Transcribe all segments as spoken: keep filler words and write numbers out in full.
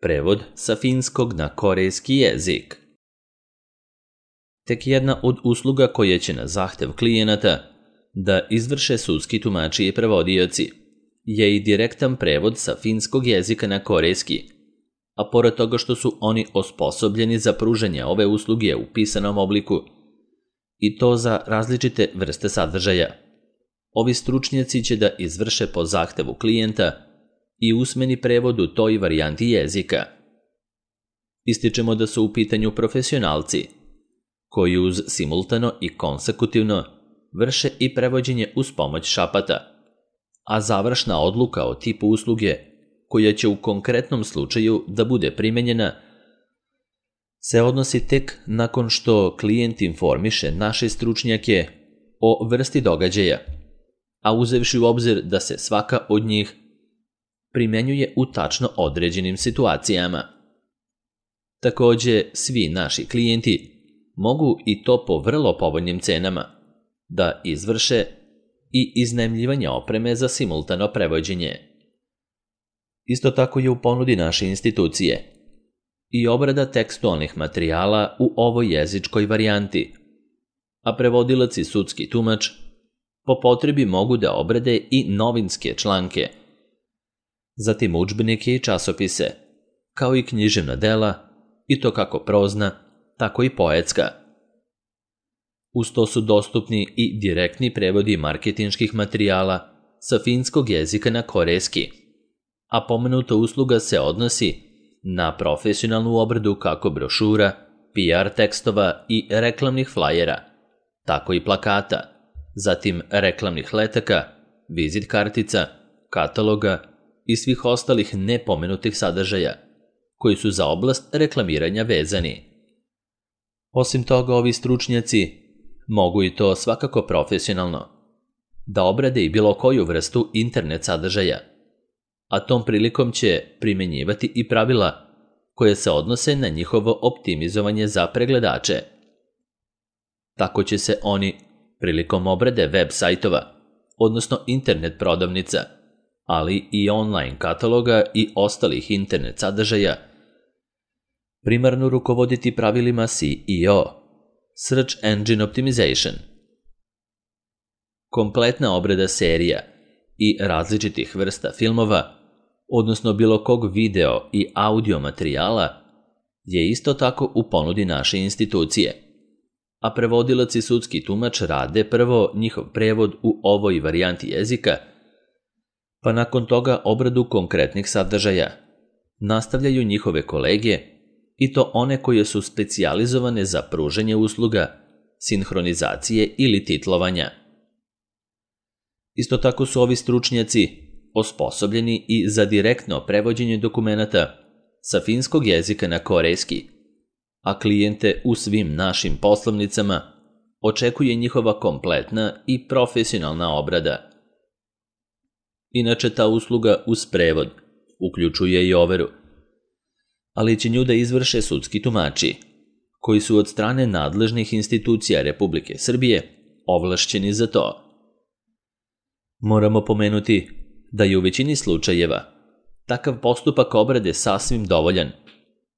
Prevod sa finskog na korejski jezik. Tek jedna od usluga koje će na zahtev klijenata da izvrše sudski tumači i prevodioci je i direktan prevod sa finskog jezika na korejski, a pored toga što su oni osposobljeni za pružanje ove usluge u pisanom obliku, i to za različite vrste sadržaja. Ovi stručnjaci će da izvrše po zahtevu klijenta i usmeni prevod u toj varijanti jezika. Ističemo da su u pitanju profesionalci, koji uz simultano i konsekutivno vrše i prevođenje uz pomoć šapata, a završna odluka o tipu usluge, koja će u konkretnom slučaju da bude primenjena, se odnosi tek nakon što klijent informiše naše stručnjake o vrsti događaja, a uzevši u obzir da se svaka od njih primenjuje u tačno određenim situacijama. Takođe, svi naši klijenti mogu i to po vrlo povoljnim cenama da izvrše i iznajmljivanje opreme za simultano prevođenje. Isto tako je u ponudi naše institucije i obrada tekstualnih materijala u ovoj jezičkoj varijanti, a prevodilac i sudski tumač po potrebi mogu da obrade i novinske članke, zatim udžbenike i časopise, kao i književna dela, i to kako prozna, tako i poetska. Uz to su dostupni i direktni prevodi marketinških materijala sa finskog jezika na korejski, a pomenuta usluga se odnosi na profesionalnu obradu kako brošura, P R tekstova i reklamnih flajera, tako i plakata, zatim reklamnih letaka, vizit kartica, kataloga i svih ostalih nepomenutih sadržaja, koji su za oblast reklamiranja vezani. Osim toga, ovi stručnjaci mogu i to svakako profesionalno da obrade i bilo koju vrstu internet sadržaja, a tom prilikom će primenjivati i pravila koje se odnose na njihovo optimizovanje za pregledače. Tako će se oni prilikom obrade web sajtova, odnosno internet prodavnica, ali i online kataloga i ostalih internet sadržaja, primarno rukovoditi pravilima S E O, Search Engine Optimization. Kompletna obrada serija i različitih vrsta filmova, odnosno bilo kog video i audio materijala, je isto tako u ponudi naše institucije, a prevodilac i sudski tumač rade prvo njihov prevod u ovoj varijanti jezika, pa nakon toga obradu konkretnih sadržaja nastavljaju njihove kolege, i to one koje su specijalizovane za pružanje usluga, sinhronizacije ili titlovanja. Isto tako su ovi stručnjaci osposobljeni i za direktno prevođenje dokumenata sa finskog jezika na korejski, a klijente u svim našim poslovnicama očekuje njihova kompletna i profesionalna obrada. Inače, ta usluga uz prevod uključuje i overu, ali će nju da izvrše sudski tumači, koji su od strane nadležnih institucija Republike Srbije ovlašćeni za to. Moramo pomenuti da je u većini slučajeva takav postupak obrade sasvim dovoljan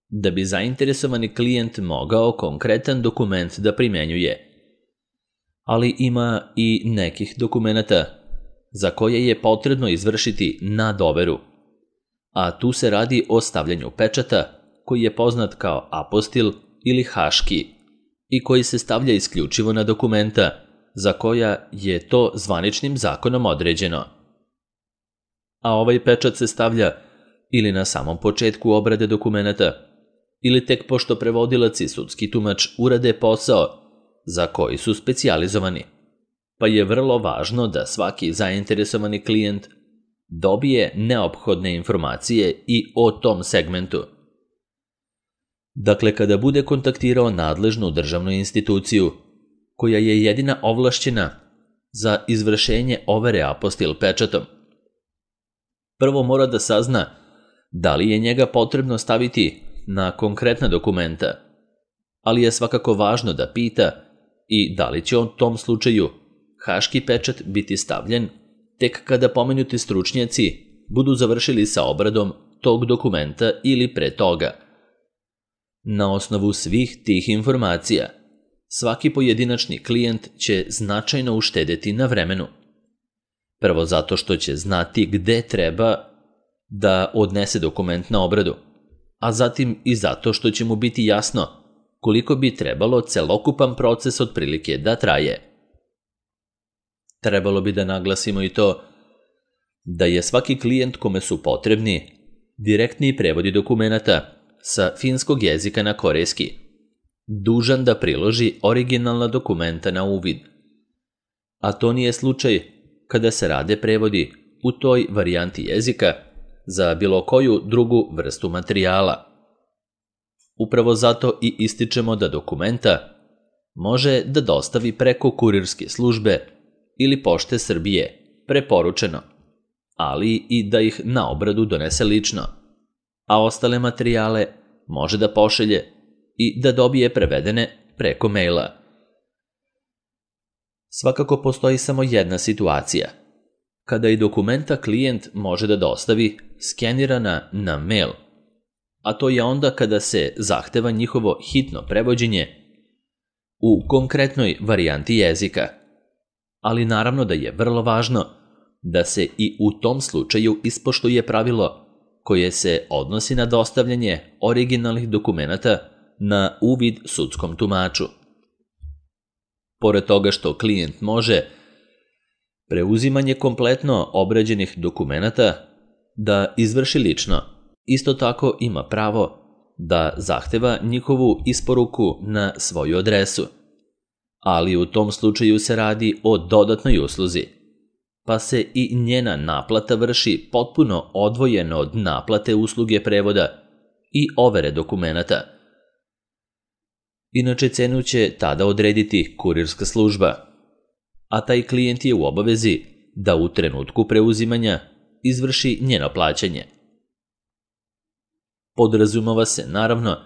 da bi zainteresovani klijent mogao konkretan dokument da primenjuje, ali ima i nekih dokumenata za koje je potrebno izvršiti nadoveru, a tu se radi o stavljanju pečata koji je poznat kao apostil ili haški i koji se stavlja isključivo na dokumenta za koja je to zvaničnim zakonom određeno. A ovaj pečat se stavlja ili na samom početku obrade dokumenta, ili tek pošto prevodilac i sudski tumač urade posao za koji su specijalizovani, pa je vrlo važno da svaki zainteresovani klijent dobije neophodne informacije i o tom segmentu. Dakle, kada bude kontaktirao nadležnu državnu instituciju, koja je jedina ovlašćena za izvršenje overe apostil pečatom, prvo mora da sazna da li je njega potrebno staviti na konkretna dokumenta, ali je svakako važno da pita i da li će u tom slučaju haški pečat biti stavljen tek kada pomenuti stručnjaci budu završili sa obradom tog dokumenta ili pre toga. Na osnovu svih tih informacija, svaki pojedinačni klijent će značajno uštedeti na vremenu. Prvo zato što će znati gde treba da odnese dokument na obradu, a zatim i zato što će mu biti jasno koliko bi trebalo celokupan proces otprilike da traje. Trebalo bi da naglasimo i to da je svaki klijent kome su potrebni direktni prevodi dokumenata sa finskog jezika na korejski dužan da priloži originalna dokumenta na uvid. A to nije slučaj kada se rade prevodi u toj varijanti jezika za bilo koju drugu vrstu materijala. Upravo zato i ističemo da dokumenta može da dostavi preko kurirske službe ili Pošte Srbije preporučeno, ali i da ih na obradu donese lično, a ostale materijale može da pošalje i da dobije prevedene preko maila. Svakako postoji samo jedna situacija, kada i dokumenta klijent može da dostavi skenirana na mail, a to je onda kada se zahteva njihovo hitno prevođenje u konkretnoj varijanti jezika. Ali naravno da je vrlo važno da se i u tom slučaju ispoštuje pravilo koje se odnosi na dostavljanje originalnih dokumenata na uvid sudskom tumaču. Pored toga što klijent može preuzimanje kompletno obrađenih dokumenata da izvrši lično, isto tako ima pravo da zahteva njihovu isporuku na svoju adresu, ali u tom slučaju se radi o dodatnoj usluzi, pa se i njena naplata vrši potpuno odvojeno od naplate usluge prevoda i overe dokumenata. Inače, cenu će tada odrediti kurirska služba, a taj klijent je u obavezi da u trenutku preuzimanja izvrši njeno plaćanje. Podrazumeva se, naravno,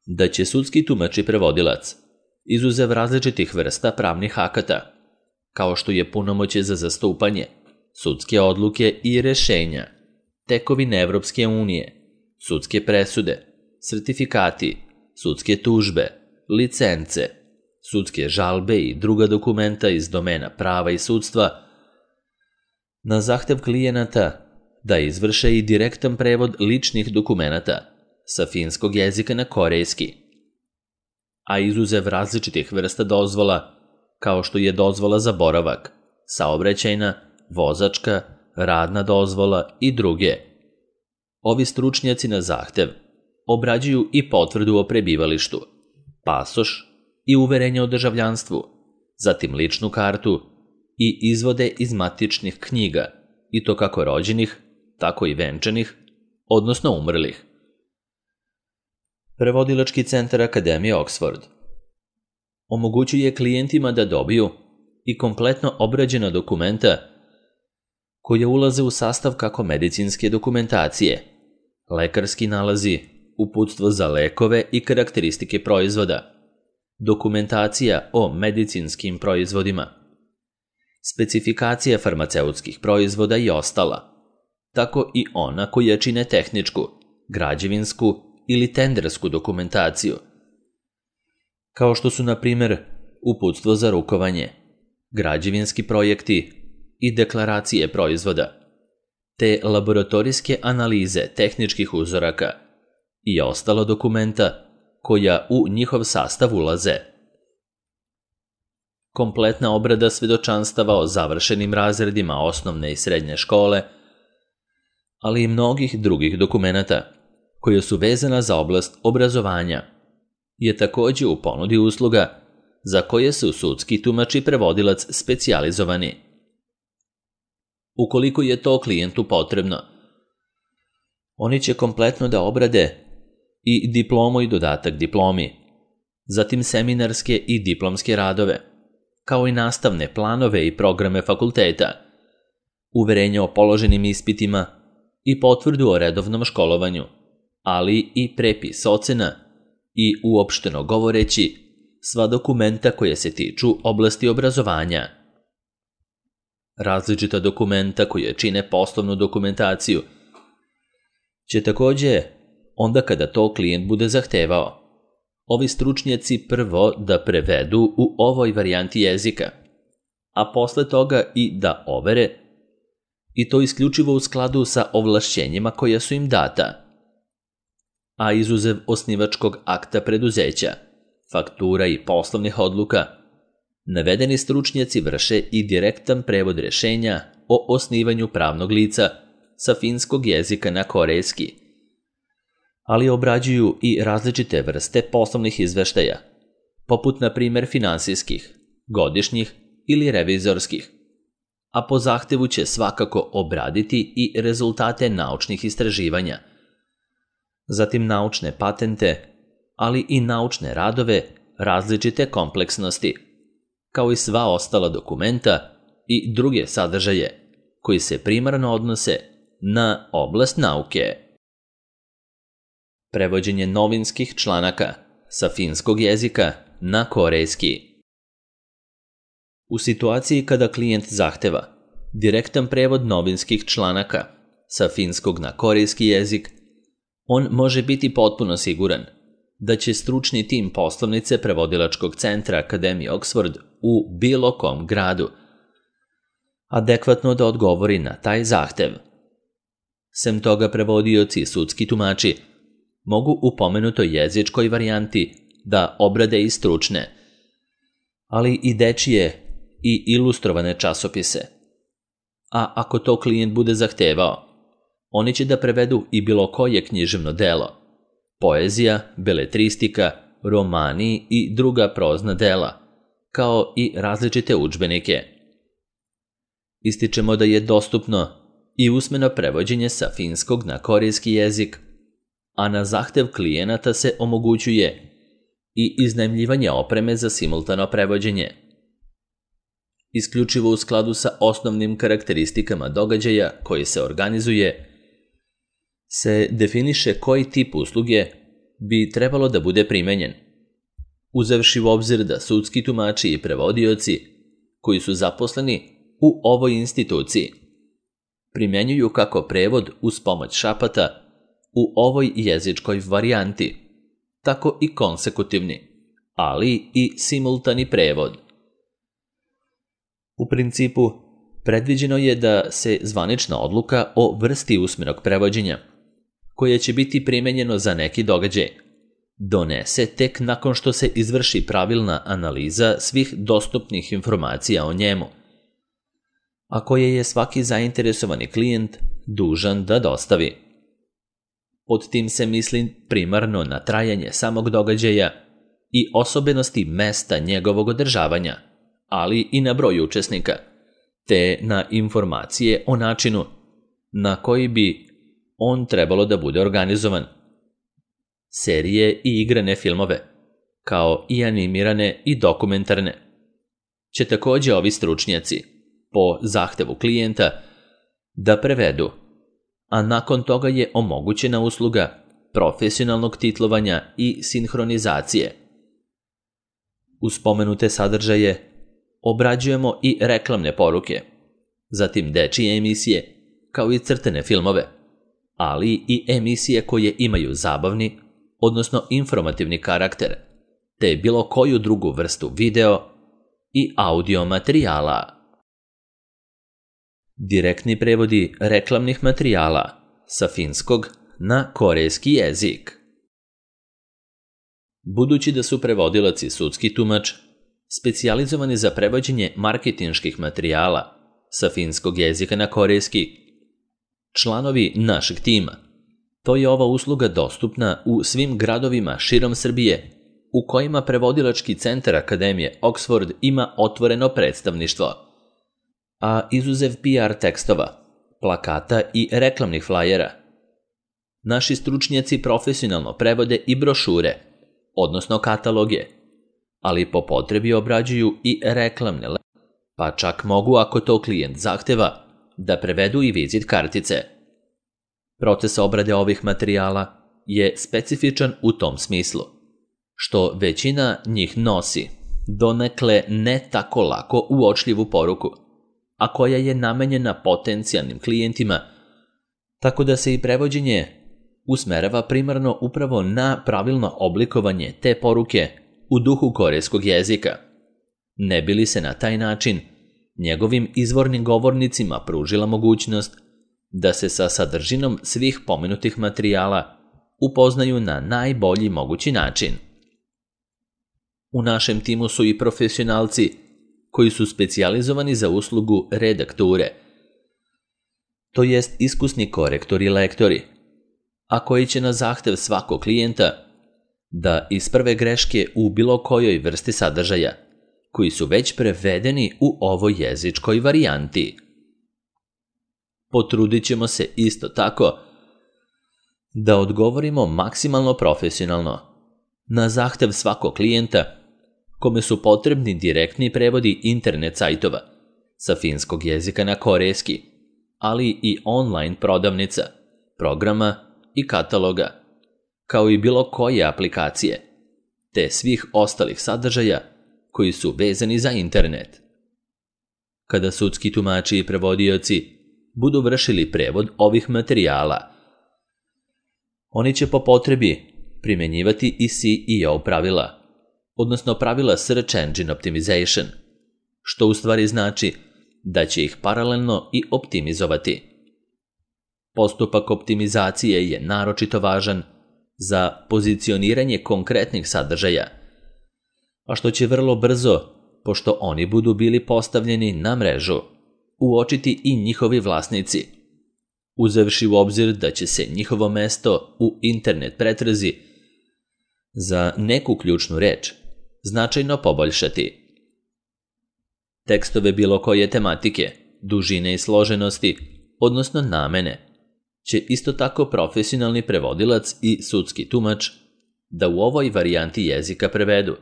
da će sudski tumač i prevodilac, izuzev različitih vrsta pravnih akata, kao što je punomoćje za zastupanje, sudske odluke i rešenja, tekovine Evropske unije, sudske presude, sertifikati, sudske tužbe, licence, sudske žalbe i druga dokumenta iz domena prava i sudstva, na zahtev klijenata da izvrše i direktan prevod ličnih dokumenata sa finskog jezika na korejski, a izuzev različitih vrsta dozvola, kao što je dozvola za boravak, saobraćajna, vozačka, radna dozvola i druge. Ovi stručnjaci na zahtev obrađuju i potvrdu o prebivalištu, pasoš i uverenje o državljanstvu, zatim ličnu kartu i izvode iz matičnih knjiga, i to kako rođenih, tako i venčanih, odnosno umrlih. Prevodilački centar Akademije Oxford omogućuje klijentima da dobiju i kompletno obrađena dokumenta koje ulaze u sastav kako medicinske dokumentacije, lekarski nalazi, uputstvo za lekove i karakteristike proizvoda, dokumentacija o medicinskim proizvodima, specifikacija farmaceutskih proizvoda i ostala, tako i ona koja čine tehničku, građevinsku ili tendersku dokumentaciju, kao što su, na primer, uputstvo za rukovanje, građevinski projekti i deklaracije proizvoda, te laboratorijske analize tehničkih uzoraka i ostala dokumenta koja u njihov sastav ulaze. Kompletna obrada svedočanstava o završenim razredima osnovne i srednje škole, ali i mnogih drugih dokumenata koja su vezana za oblast obrazovanja, je takođe u ponudi usluga za koje su sudski tumač i prevodilac specijalizovani. Ukoliko je to klijentu potrebno, oni će kompletno da obrade i diplomu i dodatak diplomi, zatim seminarske i diplomske radove, kao i nastavne planove i programe fakulteta, uverenje o položenim ispitima i potvrdu o redovnom školovanju, ali i prepis ocena i, uopšteno govoreći, sva dokumenta koje se tiču oblasti obrazovanja. Različita dokumenta koje čine poslovnu dokumentaciju će također, onda kada to klijent bude zahtevao, ovi stručnjaci prvo da prevedu u ovoj varijanti jezika, a posle toga i da overe, i to isključivo u skladu sa ovlašćenjima koja su im data, a izuzev osnivačkog akta preduzeća, faktura i poslovnih odluka, navedeni stručnjaci vrše i direktan prevod rješenja o osnivanju pravnog lica sa finskog jezika na korejski, ali obrađuju i različite vrste poslovnih izveštaja, poput na primjer finansijskih, godišnjih ili revizorskih, a po zahtevu će svakako obraditi i rezultate naučnih istraživanja, zatim naučne patente, ali i naučne radove različite kompleksnosti, kao i sva ostala dokumenta i druge sadržaje koji se primarno odnose na oblast nauke. Prevođenje novinskih članaka sa finskog jezika na korejski. U situaciji kada klijent zahteva direktan prevod novinskih članaka sa finskog na korejski jezik, on može biti potpuno siguran da će stručni tim poslovnice prevodilačkog centra Akademije Oxford u bilo kom gradu adekvatno da odgovori na taj zahtev. Sem toga, prevodioci i sudski tumači mogu u pomenutoj jezičkoj varijanti da obrade i stručne, ali i dečije i ilustrovane časopise. A ako to klijent bude zahtevao, oni će da prevedu i bilo koje književno delo, poezija, beletristika, romani i druga prozna dela, kao i različite udžbenike. Ističemo da je dostupno i usmeno prevođenje sa finskog na korejski jezik, a na zahtev klijenata se omogućuje i iznajmljivanje opreme za simultano prevođenje. Isključivo u skladu sa osnovnim karakteristikama događaja koji se organizuje, se definiše koji tip usluge bi trebalo da bude primenjen, uzevši u obzir da sudski tumači i prevodioci koji su zaposleni u ovoj instituciji primjenjuju kako prevod uz pomoć šapata u ovoj jezičkoj varijanti, tako i konsekutivni, ali i simultani prevod. U principu, predviđeno je da se zvanična odluka o vrsti usmenog prevođenja, koje će biti primenjeno za neki događaj, donese tek nakon što se izvrši pravilna analiza svih dostupnih informacija o njemu, a koje je svaki zainteresovani klijent dužan da dostavi. Pod tim se misli primarno na trajanje samog događaja i osobenosti mesta njegovog održavanja, ali i na broj učesnika, te na informacije o načinu na koji bi on trebalo da bude organizovan. Serije i igrane filmove, kao i animirane i dokumentarne, će također ovi stručnjaci, po zahtevu klijenta, da prevedu, a nakon toga je omogućena usluga profesionalnog titlovanja i sinhronizacije. Uz spomenute sadržaje obrađujemo i reklamne poruke, zatim dečije emisije, kao i crtene filmove, ali i emisije koje imaju zabavni, odnosno informativni karakter, te bilo koju drugu vrstu video i audio materijala. Direktni prevodi reklamnih materijala sa finskog na korejski jezik. Budući da su prevodilac i sudski tumač specijalizovani za prevođenje marketinških materijala sa finskog jezika na korejski, članovi našeg tima, to je ova usluga dostupna u svim gradovima širom Srbije u kojima prevodilački centar Akademije Oxford ima otvoreno predstavništvo, a izuzev P R tekstova, plakata i reklamnih flajera, naši stručnjaci profesionalno prevode i brošure, odnosno kataloge, ali po potrebi obrađuju i reklamne, pa čak mogu, ako to klijent zahteva, da prevedu i vizit kartice. Proces obrade ovih materijala je specifičan u tom smislu, što većina njih nosi donekle ne tako lako uočljivu poruku, a koja je namenjena potencijalnim klijentima, tako da se i prevođenje usmerava primarno upravo na pravilno oblikovanje te poruke u duhu korejskog jezika, ne bi li se na taj način njegovim izvornim govornicima pružila mogućnost da se sa sadržinom svih pomenutih materijala upoznaju na najbolji mogući način. U našem timu su i profesionalci koji su specijalizovani za uslugu redakture, to jest iskusni korektori i lektori, a koji će na zahtev svakog klijenta da isprave greške u bilo kojoj vrsti sadržaja, koji su već prevedeni u ovoj jezičkoj varijanti. Potrudit ćemo se isto tako da odgovorimo maksimalno profesionalno na zahtev svakog klijenta kome su potrebni direktni prevodi internet sajtova sa finskog jezika na korejski, ali i online prodavnica, programa i kataloga, kao i bilo koje aplikacije, te svih ostalih sadržaja koji su vezani za internet. Kada sudski tumači i prevodioci budu vršili prevod ovih materijala, oni će po potrebi primjenjivati i S E O pravila, odnosno pravila Search Engine Optimization, što u stvari znači da će ih paralelno i optimizovati. Postupak optimizacije je naročito važan za pozicioniranje konkretnih sadržaja, a što će vrlo brzo, pošto oni budu bili postavljeni na mrežu, uočiti i njihovi vlasnici, uzevši u obzir da će se njihovo mesto u internet pretrazi za neku ključnu reč značajno poboljšati. Tekstove bilo koje tematike, dužine i složenosti, odnosno namene, će isto tako profesionalni prevodilac i sudski tumač da u ovoj varijanti jezika prevedu.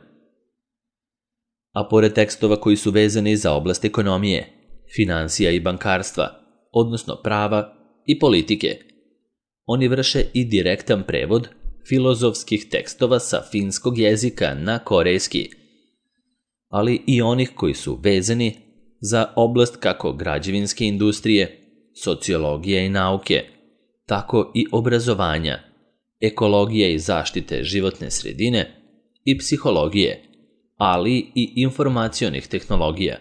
A pored tekstova koji su vezani za oblast ekonomije, finansija i bankarstva, odnosno prava i politike, oni vrše i direktan prevod filozofskih tekstova sa finskog jezika na korejski, ali i onih koji su vezani za oblast kako građevinske industrije, sociologije i nauke, tako i obrazovanja, ekologije i zaštite životne sredine i psihologije, ali i informacionih tehnologija,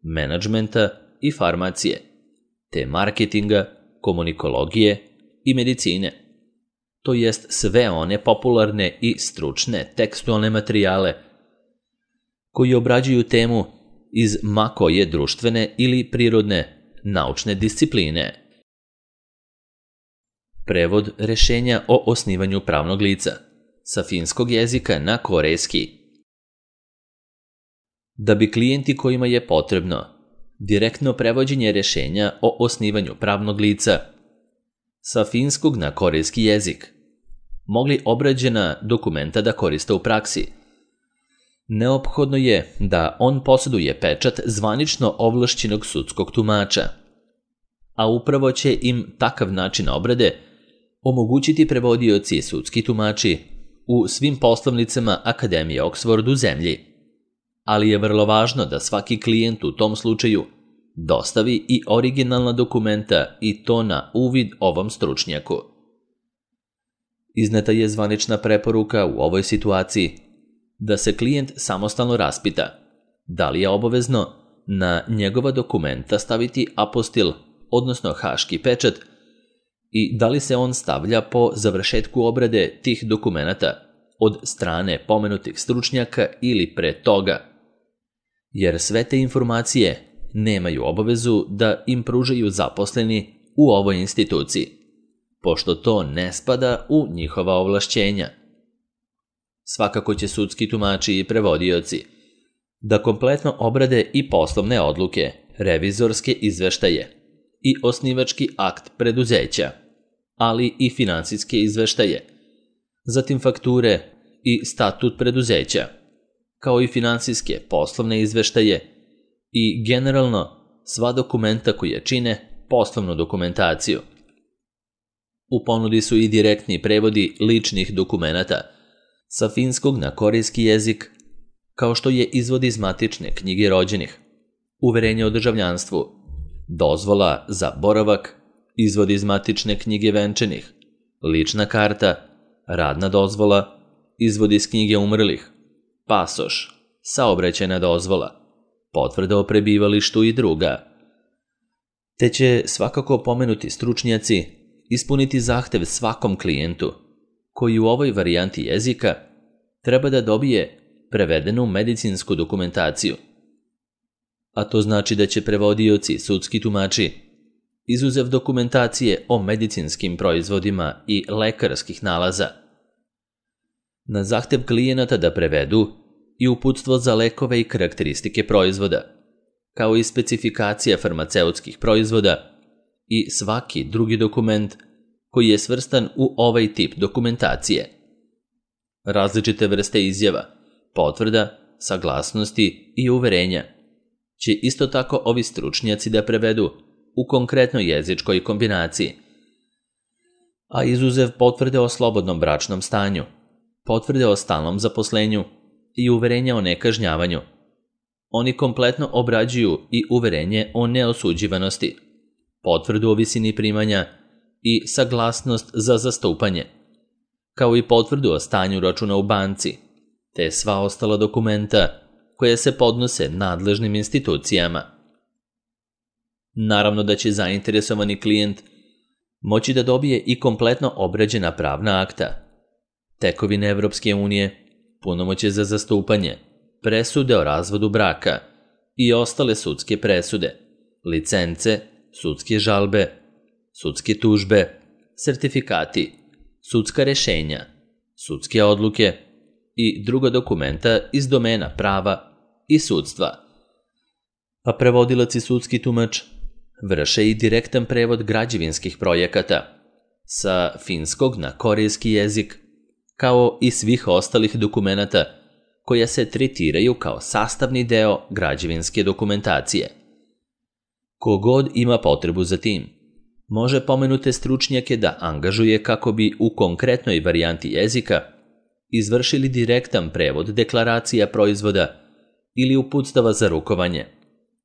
menadžmenta i farmacije, te marketinga, komunikologije i medicine, to jest sve one popularne i stručne tekstualne materijale koji obrađuju temu iz ma koje društvene ili prirodne naučne discipline. Prevod rešenja o osnivanju pravnog lica sa finskog jezika na korejski. Da bi klijenti kojima je potrebno direktno prevođenje rešenja o osnivanju pravnog lica sa finskog na korejski jezik mogli obrađena dokumenta da koriste u praksi, neophodno je da on posjeduje pečat zvanično ovlašćenog sudskog tumača, a upravo će im takav način obrade omogućiti prevodioci i sudski tumači u svim poslovnicama Akademije Oxford u zemlji, ali je vrlo važno da svaki klijent u tom slučaju dostavi i originalna dokumenta i to na uvid ovom stručnjaku. Izneta je zvanična preporuka u ovoj situaciji da se klijent samostalno raspita da li je obavezno na njegova dokumenta staviti apostil, odnosno haški pečat, i da li se on stavlja po završetku obrade tih dokumenata od strane pomenutih stručnjaka ili pre toga, jer sve te informacije nemaju obavezu da im pružaju zaposleni u ovoj instituciji, pošto to ne spada u njihova ovlašćenja. Svakako će sudski tumači i prevodioci da kompletno obrade i poslovne odluke, revizorske izveštaje i osnivački akt preduzeća, ali i finansijske izveštaje, zatim fakture i statut preduzeća, kao i finansijske poslovne izveštaje i generalno sva dokumenta koje čine poslovnu dokumentaciju. U ponudi su i direktni prevodi ličnih dokumenata sa finskog na korejski jezik, kao što je izvod iz matične knjige rođenih, uverenje o državljanstvu, dozvola za boravak, izvod iz matične knjige venčanih, lična karta, radna dozvola, izvod iz knjige umrlih, pasoš, saobraćajna dozvola, potvrda o prebivalištu i druga. Te će svakako pomenuti stručnjaci ispuniti zahtev svakom klijentu koji u ovoj varijanti jezika treba da dobije prevedenu medicinsku dokumentaciju. A to znači da će prevodioci, sudski tumači, izuzev dokumentacije o medicinskim proizvodima i lekarskih nalaza, na zahtev klijenata da prevedu i uputstvo za lekove i karakteristike proizvoda, kao i specifikacija farmaceutskih proizvoda i svaki drugi dokument koji je svrstan u ovaj tip dokumentacije. Različite vrste izjava, potvrda, saglasnosti i uverenja će isto tako ovi stručnjaci da prevedu u konkretnoj jezičkoj kombinaciji. A izuzev potvrde o slobodnom bračnom stanju, potvrde o stalnom zaposlenju i uverenja o nekažnjavanju, oni kompletno obrađuju i uverenje o neosuđivanosti, potvrdu o visini primanja i saglasnost za zastupanje, kao i potvrdu o stanju računa u banci, te sva ostala dokumenta koja se podnose nadležnim institucijama. Naravno da će zainteresovani klijent moći da dobije i kompletno obrađena pravna akta, tekovine Evropske unije, punomoćje za zastupanje, presude o razvodu braka i ostale sudske presude, licence, sudske žalbe, sudske tužbe, sertifikati, sudska rešenja, sudske odluke i druga dokumenta iz domena prava i sudstva. A prevodilac i sudski tumač vrše i direktan prevod građevinskih projekata sa finskog na korejski jezik, kao i svih ostalih dokumenata koja se tretiraju kao sastavni deo građevinske dokumentacije. Kogod ima potrebu za tim, može pomenute stručnjake da angažuje kako bi u konkretnoj varijanti jezika izvršili direktan prevod deklaracija proizvoda ili uputstava za rukovanje,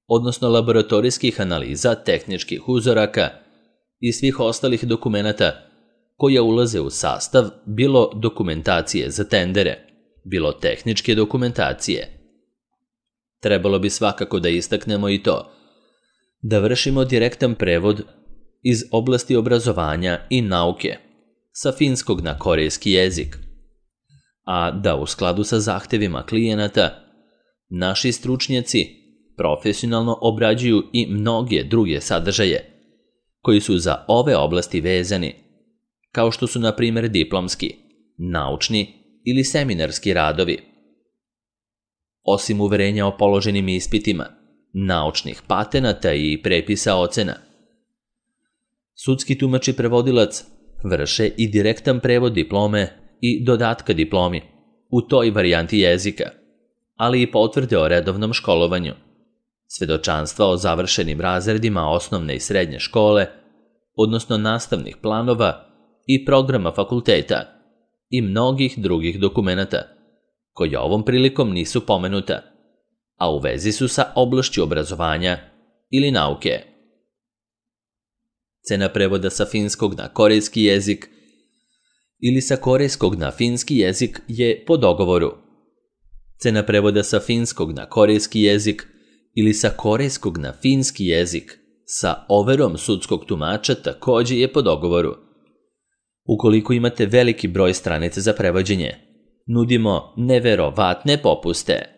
odnosno laboratorijskih analiza tehničkih uzoraka i svih ostalih dokumenata koja ulaze u sastav bilo dokumentacije za tendere, bilo tehničke dokumentacije. Trebalo bi svakako da istaknemo i to da vršimo direktan prevod iz oblasti obrazovanja i nauke sa finskog na korejski jezik, a da u skladu sa zahtevima klijenata naši stručnjaci profesionalno obrađuju i mnoge druge sadržaje koji su za ove oblasti vezani, kao što su na primjer diplomski, naučni ili seminarski radovi. Osim uverenja o položenim ispitima, naučnih patenata i prepisa ocena, sudski tumač i prevodilac vrše i direktan prevod diplome i dodatka diplomi u toj varijanti jezika, ali i potvrde o redovnom školovanju, svedočanstva o završenim razredima osnovne i srednje škole, odnosno nastavnih planova i programa fakulteta i mnogih drugih dokumenata, koji ovom prilikom nisu pomenuta, a u vezi su sa oblašću obrazovanja ili nauke. Cena prevoda sa finskog na korejski jezik ili sa korejskog na finski jezik je po dogovoru. Cena prevoda sa finskog na korejski jezik ili sa korejskog na finski jezik sa overom sudskog tumača također je po dogovoru. Ukoliko imate veliki broj stranica za prevođenje, nudimo neverovatne popuste.